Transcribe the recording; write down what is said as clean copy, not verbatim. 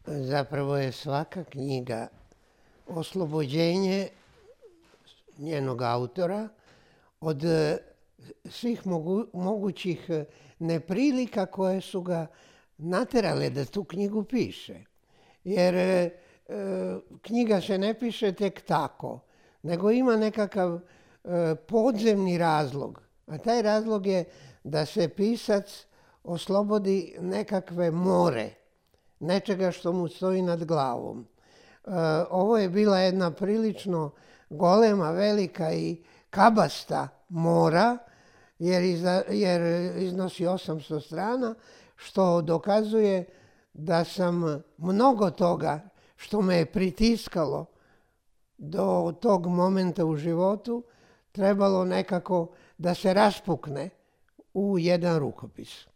Zapravo je svaka knjiga oslobođenje njenog autora od svih mogućih neprilika koje su ga naterale da tu knjigu piše. Jer knjiga se ne piše tek tako, nego ima nekakav podzemni razlog. A taj razlog je da se pisac oslobodi nekakve more, nečega što mu stoji nad glavom. Ovo je bila jedna prilično golema, velika i kabasta mora, jer iznosi 800 strana, što dokazuje da sam mnogo toga što me je pritiskalo do tog momenta u životu trebalo nekako da se raspukne u jedan rukopis.